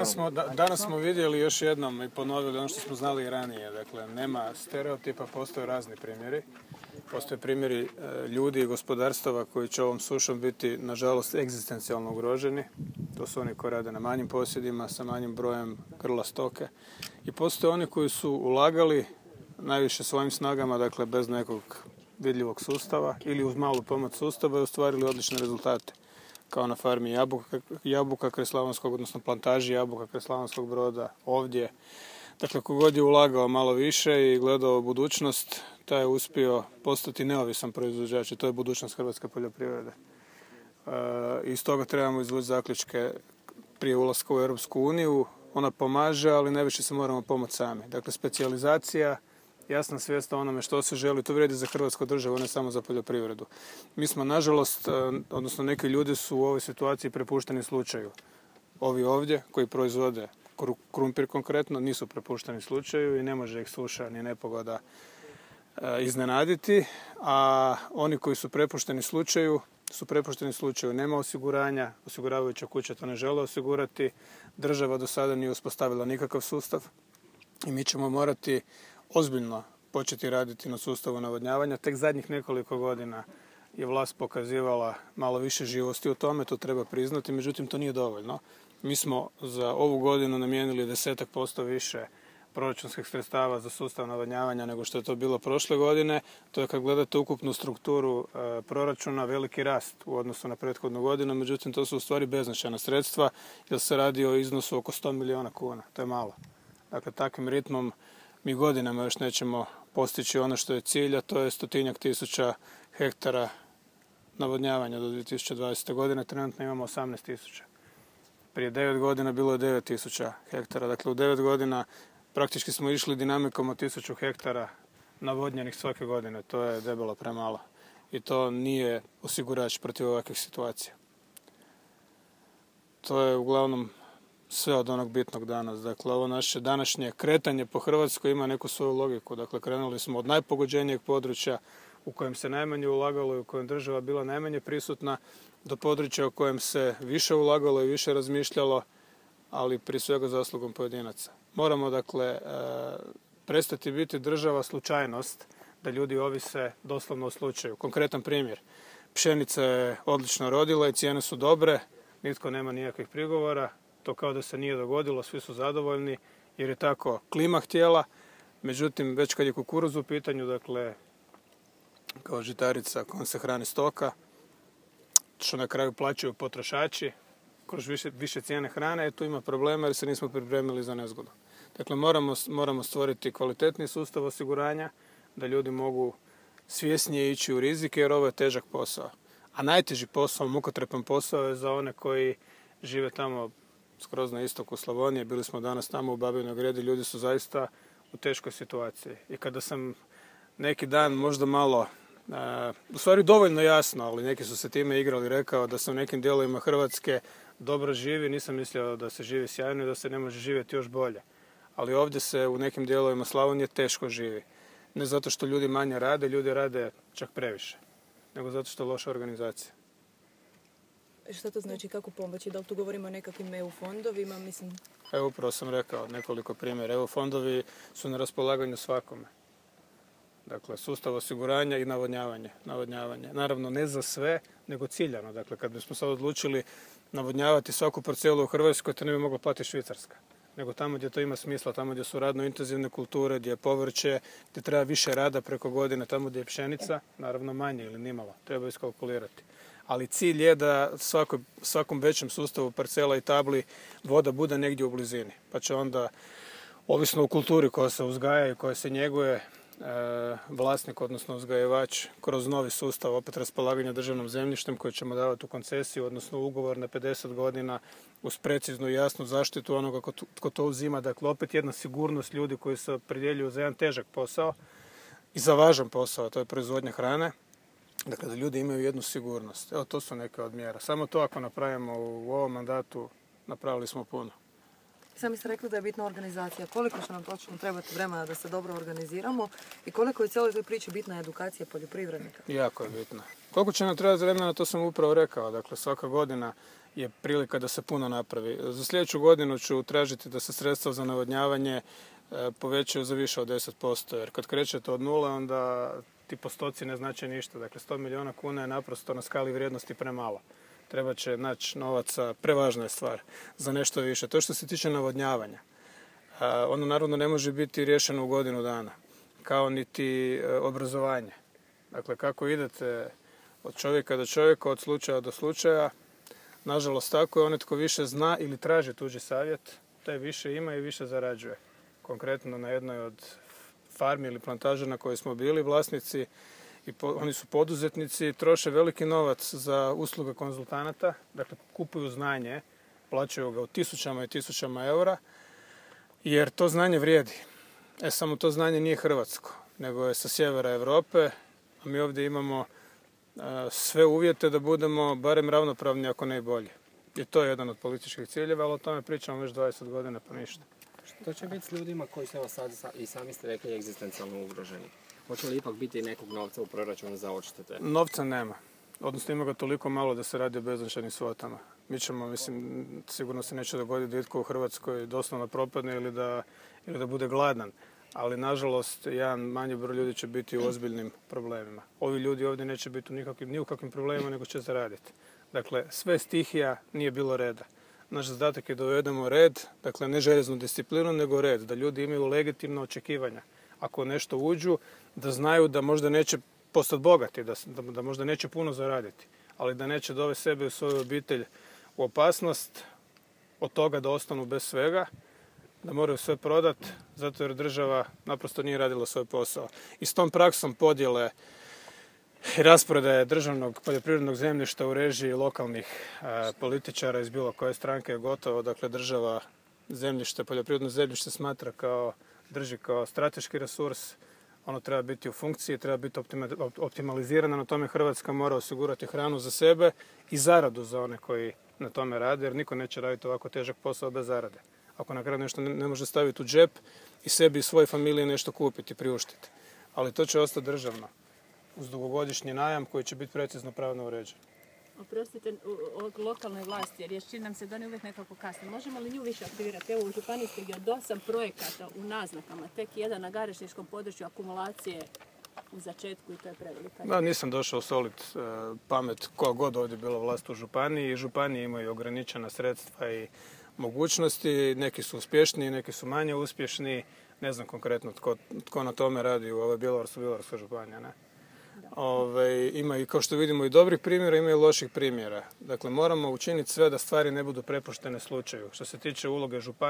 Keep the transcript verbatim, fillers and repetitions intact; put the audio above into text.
Danas smo, da, danas smo vidjeli još jednom i ponovili ono što smo znali i ranije. Dakle, nema stereotipa, postoje razni primjeri. Postoje primjeri e, ljudi i gospodarstava koji će ovom sušom biti, nažalost, egzistencijalno ugroženi. To su oni koji rade na manjim posjedima, sa manjim brojem grla stoke. I postoje oni koji su ulagali najviše svojim snagama, dakle, bez nekog vidljivog sustava ili uz malu pomoć sustava i ostvarili odlične rezultate. Kao na farmi jabuka, jabuka kraj Slavonskog, odnosno plantaži jabuka kraj Slavonskog Broda, ovdje. Dakle, kogod je ulagao malo više i gledao budućnost, taj je uspio postati neovisan proizvođač i to je budućnost hrvatske poljoprivrede. E, iz toga trebamo izvući zaključke prije ulaska u Europsku uniju. Ona pomaže, ali najviše se moramo pomoći sami. Dakle, specijalizacija, jasna svijest o onome što se želi, to vrijedi za hrvatsku državu, ne samo za poljoprivredu. Mi smo, nažalost, odnosno neki ljudi su u ovoj situaciji prepušteni slučaju. Ovi ovdje, koji proizvode krumpir konkretno, nisu prepušteni slučaju i ne može ih suša ni nepogoda iznenaditi, a oni koji su prepušteni slučaju, su prepušteni slučaju. Nema osiguranja, osiguravajuća kuća to ne žele osigurati, država do sada nije uspostavila nikakav sustav i mi ćemo morati ozbiljno početi raditi na sustavu navodnjavanja. Tek zadnjih nekoliko godina je vlast pokazivala malo više živosti u tome, to treba priznati, međutim to nije dovoljno. Mi smo za ovu godinu namijenili desetak posto više proračunskih sredstava za sustav navodnjavanja nego što je to bilo prošle godine. To je, kad gledate ukupnu strukturu e, proračuna, veliki rast u odnosu na prethodnu godinu, međutim to su u stvari beznačajna sredstva jer se radi o iznosu oko sto milijuna kuna. To je malo. Dakle, takvim ritmom mi godinama još nećemo postići ono što je cilj, a to je stotinjak tisuća hektara navodnjavanja do dvije tisuće dvadesete. godine. Trenutno imamo osamnaest tisuća. Prije devet godina bilo je devet tisuća hektara. Dakle, u devet godina praktički smo išli dinamikom od tisuću hektara navodnjenih svake godine. To je debelo premalo. I to nije osigurač protiv ovakvih situacija. To je uglavnom sve od onog bitnog danas. Dakle, ovo naše današnje kretanje po Hrvatskoj ima neku svoju logiku. Dakle, krenuli smo od najpogođenijeg područja u kojem se najmanje ulagalo i u kojem država bila najmanje prisutna, do područja u kojem se više ulagalo i više razmišljalo, ali prije svega zaslugom pojedinaca. Moramo, dakle, prestati biti država slučajnost, da ljudi ovise doslovno o slučaju. Konkretan primjer. Pšenica je odlično rodila i cijene su dobre, nitko nema nikakvih prigovora. To kao da se nije dogodilo, svi su zadovoljni jer je tako klima htjela. Međutim, već kad je kukuruz u pitanju, dakle, kao žitarica kojom se hrani stoka, što na kraju plaćaju potrošači, kroz više, više cijene hrane, e, tu ima problema jer se nismo pripremili za nezgodu. Dakle, moramo, moramo stvoriti kvalitetni sustav osiguranja, da ljudi mogu svjesnije ići u rizike jer ovo je težak posao. A najteži posao, mukotrepan posao je za one koji žive tamo skroz na istoku Slavonije. Bili smo danas tamo u Babinoj Gredi, ljudi su zaista u teškoj situaciji. I kada sam neki dan možda malo, uh, u stvari dovoljno jasno, ali neki su se time igrali, rekao da se u nekim dijelovima Hrvatske dobro živi, nisam mislio da se živi sjajno i da se ne može živjeti još bolje. Ali ovdje se u nekim dijelovima Slavonije teško živi. Ne zato što ljudi manje rade, ljudi rade čak previše, nego zato što je loša organizacija. Šta to znači, kako pomoći? Da li tu govorimo o nekakvim E U fondovima? Mislim... Evo, upravo sam rekao nekoliko primjera. E U fondovi su na raspolaganju svakome. Dakle, sustav osiguranja i navodnjavanje. navodnjavanje. Naravno, ne za sve, nego ciljano. Dakle, kad bismo sad odlučili navodnjavati svaku parcelu u Hrvatskoj, to ne bi mogla platiti Švicarska. Nego tamo gdje to ima smisla, tamo gdje su radno intenzivne kulture, gdje je povrće, gdje treba više rada preko godine, tamo gdje je pšenica, naravno manje ili nimalo. Treba iskalkulirati. Ali cilj je da svako, svakom većem sustavu parcela i tabli voda bude negdje u blizini. Pa će onda, ovisno o kulturi koja se uzgaja i koja se njeguje, e, vlasnik, odnosno uzgajivač, kroz novi sustav opet raspolaganja državnom zemljištem koji ćemo davati u koncesiju, odnosno ugovor na pedeset godina uz preciznu i jasnu zaštitu onoga ko, ko to uzima. Dakle, opet jedna sigurnost ljudi koji se opredjeljuju za jedan težak posao i za važan posao, to je proizvodnja hrane. Dakle, da ljudi imaju jednu sigurnost. Evo, to su neke od mjera. Samo to ako napravimo u ovom mandatu, napravili smo puno. Sami ste rekli da je bitna organizacija. Koliko će nam točno trebati vremena da se dobro organiziramo i koliko je cijeloj toj priči bitna edukacija poljoprivrednika? Jako je bitna. Koliko će nam trebati vremena, to sam upravo rekao. Dakle, svaka godina je prilika da se puno napravi. Za sljedeću godinu ću tražiti da se sredstva za navodnjavanje povećaju za više od deset posto, jer kad krećete od nule, onda ti postoci ne znače ništa. Dakle, sto milijuna kuna je naprosto na skali vrijednosti premalo. Treba će naći novaca, prevažna je stvar, za nešto više. To što se tiče navodnjavanja, ono naravno ne može biti riješeno u godinu dana, kao niti obrazovanje. Dakle, kako idete od čovjeka do čovjeka, od slučaja do slučaja, nažalost tako je, onaj tko više zna ili traži tuđi savjet, taj više ima i više zarađuje. Konkretno na jednoj od farmi ili plantaža na kojoj smo bili vlasnici, i po, oni su poduzetnici, troše veliki novac za usluge konzultanata, dakle kupuju znanje, plaćaju ga u tisućama i tisućama eura, jer to znanje vrijedi. E, samo to znanje nije hrvatsko, nego je sa sjevera Europe, a mi ovdje imamo a, sve uvjete da budemo barem ravnopravni, ako ne i bolji. I to je jedan od političkih ciljeva, ali o tome pričamo već dvadeset godina, pa ništa. Što će biti s ljudima koji su evo sad i sami ste rekli egzistencijalno ugroženi? Hoće li ipak biti nekog novca u proračunu za odštete? Novca nema. Odnosno ima ga toliko malo da se radi o beznačajnim svotama. Mi ćemo, mislim, sigurno se neće dogoditi da itko u Hrvatskoj doslovno propadne ili da, ili da bude gladan. Ali, nažalost, jedan manji broj ljudi će biti u ozbiljnim problemima. Ovi ljudi ovdje neće biti u nikakvim, ni u kakvim problemima, nego će zaraditi. Dakle, sve stihija nije bilo reda. Naš zadatak je da uvedemo red, dakle ne željeznu disciplinu, nego red, da ljudi imaju legitimna očekivanja. Ako nešto uđu, da znaju da možda neće postati bogati, da, da, da možda neće puno zaraditi, ali da neće dovesti sebe i svoju obitelj u opasnost od toga da ostanu bez svega, da moraju sve prodati, zato jer država naprosto nije radila svoj posao. I s tom praksom podjele i rasprodaje državnog poljoprivrednog zemljišta u režiji lokalnih a, političara iz bilo koje stranke je gotovo. Dakle, država zemljište, poljoprivredno zemljište smatra kao, drži kao strateški resurs. Ono treba biti u funkciji, treba biti optimalizirano. Na tome Hrvatska mora osigurati hranu za sebe i zaradu za one koji na tome rade, jer niko neće raditi ovako težak posao bez zarade. Ako na kraju nešto ne može staviti u džep i sebi i svojoj familiji nešto kupiti, priuštiti. Ali to će ostati državno, uz dugogodišnji najam koji će biti precizno pravno uređen. Oprostite, od lokalne vlasti, jer čini nam se da ne uvijek nekako kasno. Možemo li nju više aktivirati? Evo, u županijskoj je od osam projekata u naznakama, tek jedan na garešničkom području akumulacije u začetku i to je prevelika. Da, nisam došao soliti e, pamet koja god ovdje bila vlast u županiji. Županije imaju ograničena sredstva i mogućnosti. Neki su uspješniji, neki su manje uspješni. Ne znam konkretno tko, tko na tome radi u ovoj Bjelovarsko-bilogorskoj županiji, ne? Ove, ima i, kao što vidimo, i dobrih primjera, ima i loših primjera. Dakle, moramo učiniti sve da stvari ne budu prepuštene slučaju. Što se tiče uloge županije,